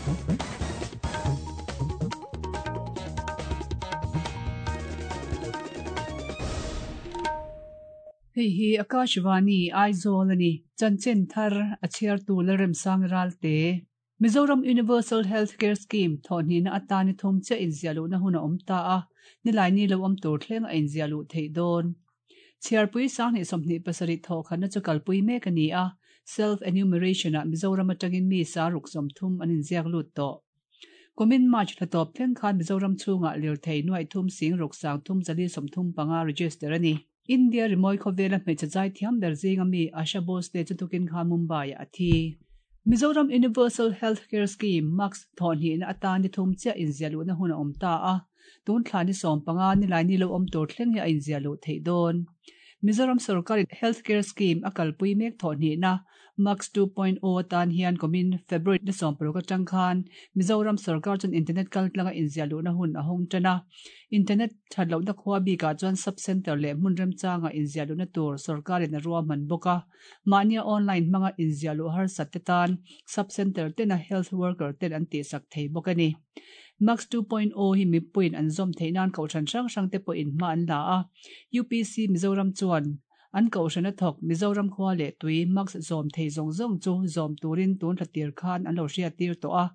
Hei hi Akashvani, Aizawl a ni. Chanchin thar a chhiartu Lalremsang Ralte. Mizoram Universal Health Care Scheme thawhhnihna atan i thum chiah inziah luhna hun a awm ta a, nilai ni lo awm tur thleng a inziah luh theih dawn. Chhiarpui sanghnih 27 thawhkhatna chu kalpui mek a ni a, Self Enumeration ah Mizoram atangin mi sa ruk 30 an inziak lut tawh. Kumin March thla tawp thleng khan Mizoram chhungah lirthei nuaih thum sing ruk sang thum zali 35 register a ni. India rimawi khawvela hmeichhe zai thiam ber zinga mi Asha Bhosle chu tukin khan Mumbai-ah a thi. Mizoram Universal Health Care Scheme, MACS, thawhhnihna atan ni thum chiah inziah luhna hun a awm ta a, tun thla ni 15 nilai ni lo awm tur thleng hi a inziah luh theih dawn. Mizoram sorkarin Health Care Scheme a kalpui mek thawhhnihna MACS 2.0 atan hian kumin February ni 16 atang khan Mizoram sorkar chuan internet kaltlanga inziah luhna hun a hawng tan a. Internet that lohna khua bikah chuan sub-centre leh hmun remchanga inziah luhna tur sorkarin a ruahman bawk a. Mahnia online hmanga inziah luh harsat te tan sub-centre tena health worker ten an tihsak thei bawk a ni. MACS 2.0 hi mipuiin an zawm theih nan kohhran hrang hrang te pawhin hma an la a. UPC Mizoram chuan An kohhran a thawk Mizoram khua leh tui mask zawm thei zawng zawng chu zawm turin tun thla tir khan an lo hriat tir tawh a.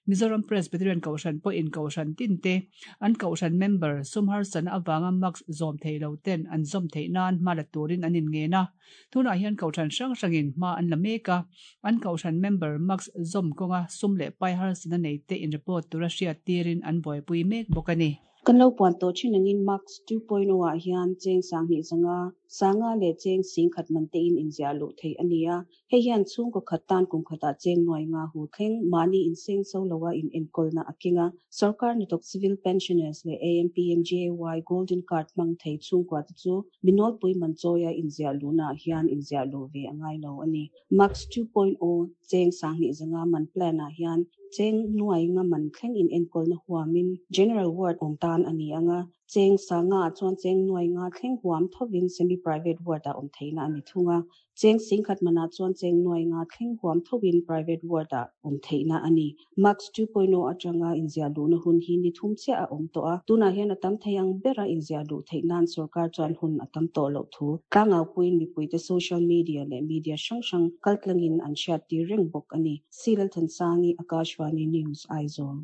Mizoram Presbyterian kohhran pawhin kohhran tin te an kohhran member sum harsatna avanga mask zawm thei lo ten an zawm theih nan hma la turin an inngen a. Tunah hian kohhran hrang hrangin hma an la mek a, an kohhran member mask zawm kawnga sum leh pai harsatna nei te in report tura hriat tirin an buaipui mek bawk a ni. Kan lo puan tawh thin angin MACS 2.0 ah hian cheng 2000 zanga 50 leh cheng 10,000 man tein inziah luh theih a ni a. Hei hian chhungkaw khat tan kum khatah cheng nuai nga hu thleng mahni inseng so loa in enkawlna a keng a. Sorkar hnathawk civil pensioners leh AMPMJAY Golden Card hmang thei chhungkua te chu minawlpui man chawia inziah luhnaah hian inziah luh ve a ngai lo a ni. MACS 2.0 cheng 2000 zanga man plan ah hian cheng nuai nga man thleng in enkawlna huamin General Ward awm tan a ni ang a, cheng 50 ah chuan cheng nuai nga thleng huam thovin Semi Private Ward ah awm theihna a ni thung a, cheng 10,000 manah chuan cheng nuai nga thleng huam thovin Private Ward ah awm theihna a ni. MACS 2.0 atanga inziah luhna hun hi ni thum chiah a awm tawh a, tunah hian a tam thei ang bera inziah luh theih nan sorkar chuan hun a tam tawh loh thu tlangaupuiin mipuite social media leh media hrang hrang kaltlangin an hriattir reng bawk a ni. C. Lalthansangi, Akashvani News, Aizawl.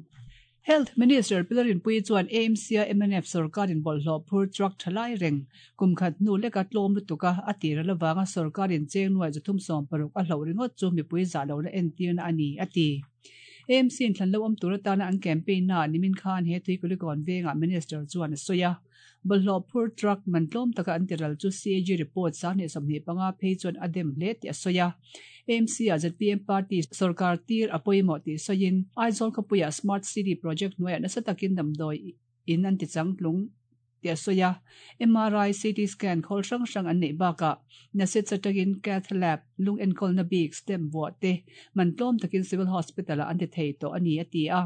Health Minister Pi Lalrinpuii chuan AMC-a mnf sorkarin bawlhhlawh phur truck tha lai reng kum khat hnu leka tlawm lutuk a, a tir al avanga sorkarin cheng nuai 360 a hloh ringawt chu mipui zah lohna entirna a ni, a ti. AMC-in thlan lo awm tur atana an campaign naah nimin khan he Tuikulikawn vengah Minister chuan a sawi a. Bawlhhlawh phur truck man tlawm taka an tiral chu CAG report 2025 phei chuan a dem hle tih a sawi a. AMC-ah zpm party sorkar tir a pawimawh tih sawiin Aizawl khawpuiah Smart City project hnuaiah nasa takin damdawi in an tichangtlung tih a sawi a. MRI, CT scan khawl hrang hrang an neih bakah NASIDS atangin Cath Lab, lung enkawlna bik, stem vuah te man tlawm takin Civil Hospital-ah an ti thei tawh a ni a ti a.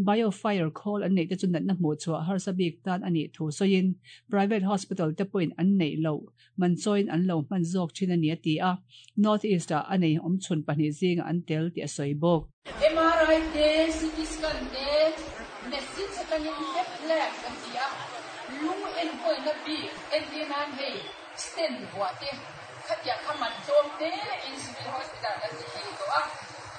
Biofire khawl an neih te chu natna hmuh chhuah harsa bik tan a nih thu sawiin private hospital te pawhin an neih loh man chawiin an lo hman zawk thin a ni a ti a, North East ah a nei awm chhun pahnih zingah an tel tih a sawi bawk. MRI te, CT scan te, medicine atangin cath lab kan ti a, lung enkawlna bik entir nan hei stent vuah te khatiang kha man tlawm te in civil hospital kan ti thei tawh a.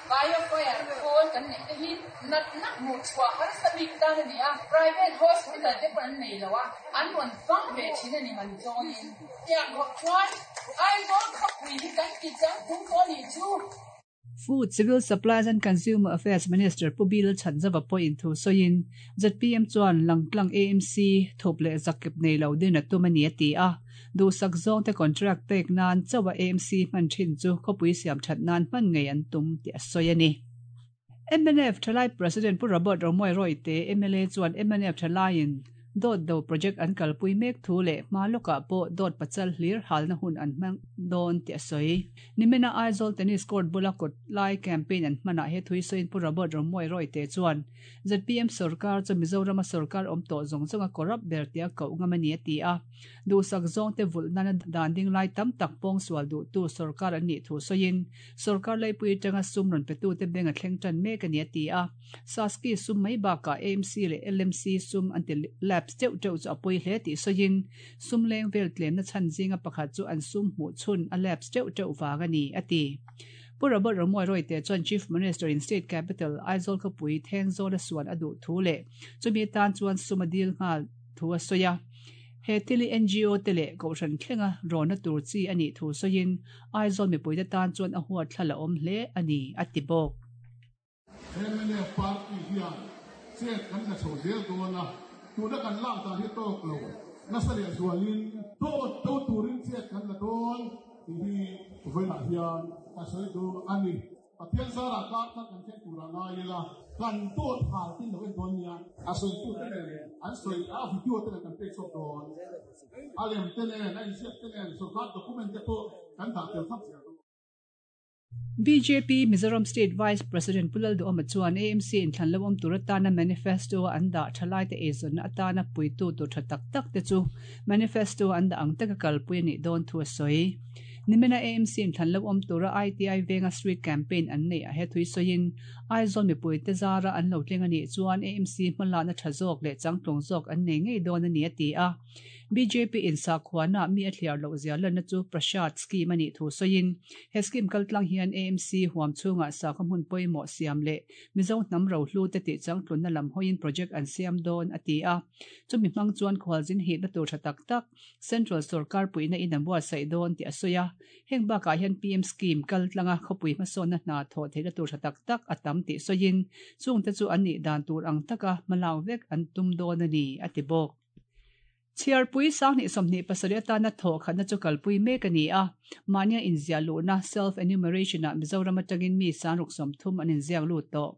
Biofire khawl kan neih te hi natna hmuh chhuah harsa bik tan a ni a, private hospital te pawh an nei lo a, an rawn fang ve thin a ni man zawnin. Tiang khawp chuan Aizawl khawpui hi kan ti chang tum tawh a nih chu. Food, Civil Supplies and Consumer Affairs Minister Pu Bill Chhanzava pawhin thu sawiin zpm chuan Langtlang AMC thup leh zakkep nei lo din a tum a ni a ti a. Duhsak zawngte contract pek nan chauha AMC hman thin chu khawpui siam that nan hman ngei an tum tih a sawi a ni. Mnf Thalai President Pu Robert Romawia Royte, mla chuan mnf Thalaiin Dawt do project an kalpui mek thu leh hma lawkah pawh dawt pachal hlir halna hun an hmang dawn tih a sawi. Nimina Aizawl Tennis Court bula kawt lai campaign an hmanah he thui sawiin Pu Robert Romawia Royte chuan zpm sorkar chu Mizorama sorkar awm tawh zawng zawnga corrupt ber tia koh ngam a ni a ti a. Duhsak zawngte vulh nana dan ding lai tam tak pawngsual duhtu sorkar an nih thu sawiin sorkar laipui atanga sum rawn petute beng a thleng tan mek a ni a ti a. Saski sum mai bakah AMC leh LMC sum an ti lapse teuh teuh chu a pawi hle tih sawiin sum leng vel tlemna chhan zinga pakhat chu an sum hmuh chhun a lapse teuh teuh vang a ni, a ti. Pu Robert Romuai Royte chuan Chief Minister in State Capital Aizawl khawpui Thenzawl a suan a duh thu leh chumi atan chuan sum a dil nghal thu a sawi a. He thil hi NGO te leh Kohhran thlenga rawnna tur chi a nih thu sawiin Aizawl mipuite tan chuan a huatthlal a awm hle a ni, a ti bawk. Mnf party hian chet kan la chho zel dawn a, tuna kan lak dan hi tawk lo nasa leh zualin dawt do turin chet kan la dawn tih hi vawiinah hian ka sawi duh a ni. Pathian zarah kar thar kan thleng turah ngai ila kan dawt hal tin lo en dawn nia, a sawitute nen an sawi a video te nen kan pek chhuak dawn, a lem te nen a inziak te nen sorkar document te pawh kan dah tel thap zel dawn. Bjp Mizoram State Vice President Pu Lalduhawma chuan AMC inthlan lo awm tur atana manifesto-a an dah thalaite eizawnna atana puitu tur tha tak tak te chu manifesto-a an dah ang taka kalpui a nih dawn thu a sawi. Nimina AMC inthlan lo awm tura ITI venga street campaign an neih ah he thui sawiin Aizawl mipuite zara an lo tling a nih chuan AMC hmalakna tha zawk leh changtlung zawk an nei ngei dawn a ni a ti a. Bjp in sakhuana mi a thliar loh zia lanna chu Prasad scheme a nih thu sawiin, he scheme kaltlang hian AMC huam chhungah sakhaw hmun pawimawh siam leh Mizo hnam rohlu te tih changtlunna lam hawiin project an siam dawn a ti a. Chumi hmang chuan khualzin hihna tur tha tak tak Central sorkar puihna in an buatsaih dawn tih a sawi a. Heng bakah hian PM scheme kaltlanga khawpui hmasawnna hna thawh theihna tur tha tak tak a tam tih sawiin, chungte chu an nih dan tur ang taka hmalak vek an tum dawn a ni, a ti bawk. Chhiarpui sanghnih 27 atana thawh khatna chu kalpui mek a ni a, mahnia inziah luhna, self enumeration, ah Mizoram atangin mi sangruk 30 an inziak lut tawh.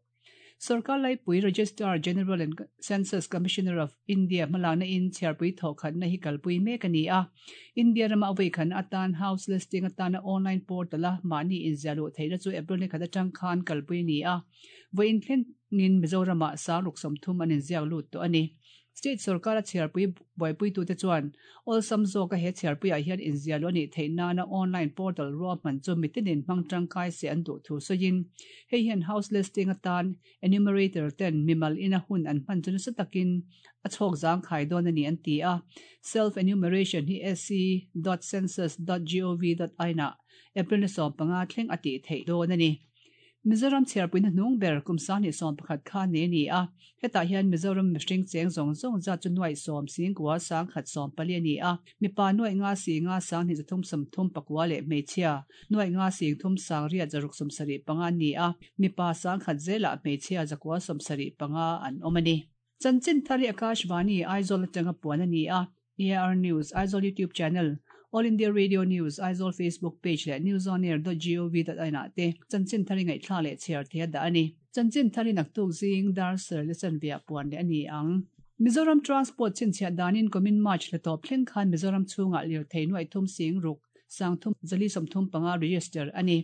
Sorkar Laipui Registrar General and Census Commissioner of India hmalakna in chhiarpui thawh khatna hi kalpui mek a ni a, India rama a vawikhatna atan house listing atana online portal a mahni inziah luh theihna chu April ni khat atang khan kalpui a ni a, vawiin thlengin Mizoramah sangruk 30 an inziak lut tawh a ni. State sorkara chhiarpui buaipuitute chuan awlsam zawka he chhiarpuiah hian inziahluh a nih theih nana online portal ruahman chu mitinin hmang tangkai se an duh thu sawiin hei hian house listing atan enumerator ten mimal ina hun an hman chu nasa takin a chhawk zangkhai dawn a ni an ti a. Self enumeration hi sc dot census dot gov dot in ah April ni 15 thleng a tih theih dawn a ni. Mizoram chhiarpuina hnung ber kum 2011 kha nei a ni a, hetah hian Mizoram mihring cheng zawng zawng zat chu nuaih sawm singkua sangkhat sawm pali a ni a, mipa nuaih nga singa sanghnih zathum sawmthum pakua leh hmeichhia nuaih nga singthum sangriat zaruk sawmsarih panga an ni a, mipa sangkhat zelah hmeichhia zakua sawmsarih panga an awm a ni. Chanchin thar hi Akashvani, Aizawl atanga puan a ni a, AR News, Aizawl YouTube Channel, All India Radio News, Aizawl Facebook Page leh newsonair.gov.in ah te chanchin thar i ngaihthlak leh chhiar thei a dah a ni. Chanchin thar i naktuk zing dar ser le chanveah puan leh a ni ang. Mizoram Transport chhinchhiah danin kumin March hla tawp thleng khan Mizoram chhungah lirthei nuaih thum sing ruk 30 435 register a ni.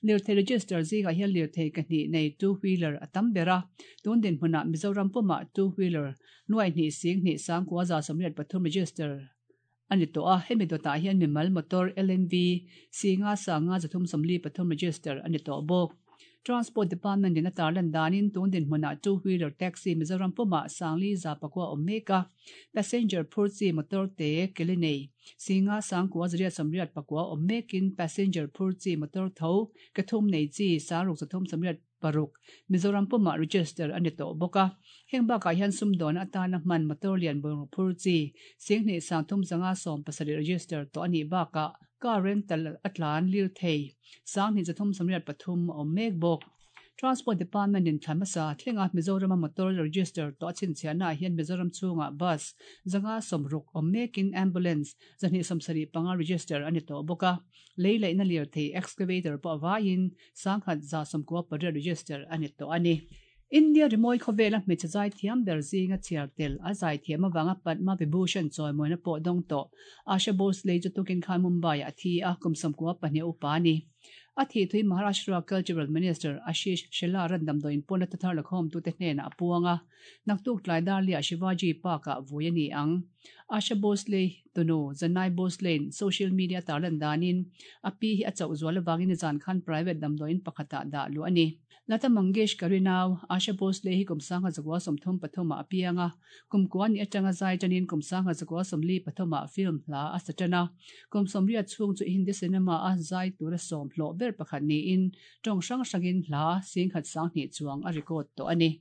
Lirthei register zingah hian lirthei ka hnih nei two wheeler a tam ber a, tun dinhmunah Mizoram pumah two wheeler nuai hnih sing hnih sangkua za sawmriat pathum register a ni tawh a, hemi dawtah hian mimal motor LMV singa sanga zathum 43 register a ni tawh bawk. Transport Department in a tarlan danin tun dinhmunah two wheeler taxi Mizoram pumah sangli za pakua awm mek a, passenger phur chi motor te keli nei singa sangkua zariat sawmriat pakua awm mekin passenger phur chi motor tho ke thum nei chi sangruk zathum sawmriat paruk Mizoram pumah register a ni tawh bawk a. Heng bakah hian sumdawn atana hman motor lian bungraw phur chi singhnih sangthum zanga sawm pasarih register tawh a nih bakah car rental a tlan lir thei 20 3 pathum a awm mek bawk. Transport Department in thla hmasa thlenga Mizorama motor register tawh a chhinchhiahnaah hian Mizoram chhungah bus zanga sawmruk awm mekin ambulance 275 register a ni tawh bawk a. Lei laihna lirthei excavator pawh a vaiin 1,198 register a ni tawh a ni. India rimawi khawvela hmeichhe zaithiam ber zinga chhiar tel a zaithiam avanga Padma Vibhushan chawimawina pawh dawng tawh Asha Bhosle chu tukin khan Mumbai-ah a thi a, kum 92 upa a ni. A thih thui Maharashtra Cultural Minister Ashish Shelar-a'n damdawiin pawn a thuthar lakhawmtute hnenah a puang a, naktuk tlai Darliah Shivaji Park-ah vui a ni ang. Asha Bhosle tunu Janai Bhosle-in social media tarlan danin a pi hi a chauh zual avangin nizan khan private damdawiin pakhatah dah luh a ni. Lata Mangeshkar-i nau, Asha Bhosle hi kum 1933 ah a piang a, kum kua ni atanga zai tanin kum 1943 ah film hla a sa tan a. Kum 80 chhung chu Hindi cinema a zai tura sawm hlawh ber pakhat niin tawng hrang hrangin hla 10,200 chuang a record tawh a ni.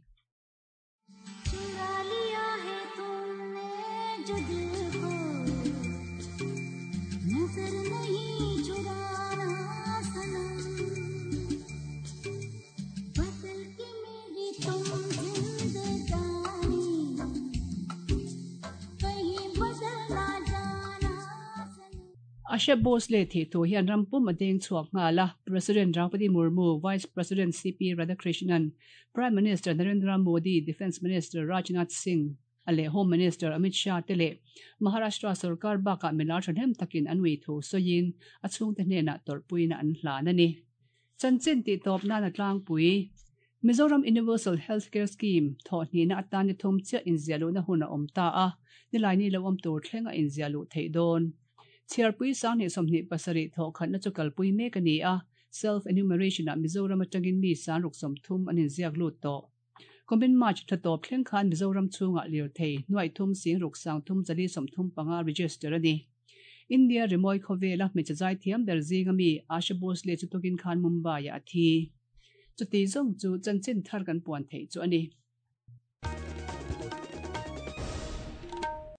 Asha Bhosle thih thu hian ram pum a deng chhuak nghal a, President Draupadi Murmu, Vice President CP Radhakrishnan, Prime Minister Narendra Modi, Defence Minister Rajnath Singh a leh Home Minister Amit Shah te leh Maharashtra sorkar bakah milar thahnem takin an ui thu sawiin a chhungte hnenah tawrhpuina an hlan a ni. Chanchin tihtawp nan a tlangpui. Mizoram Universal Health Care Scheme thawh hnihna atan ni thum chiah inziah luhna hun a awm ta a, nilaini lo awm tur thleng a inziah luh theih dawn. Chhiarpui 2027 thawh khatna chu kalpui mek a ni a, Self enumeration ah Mizoram atangin mi 6030 an inziak lut tawh. Kumin March thla tawp thleng khan Mizoram chhungah lirthei nuaih thum sing ruk sang thum zali 35 register a ni. India rimawi khawvela hmeichhe zaithiam ber zinga mi Asha Bhosle chu tukin khan Mumbai-ah a thi. Chuti zawng chu chanchin thar kan puan theih chu a ni.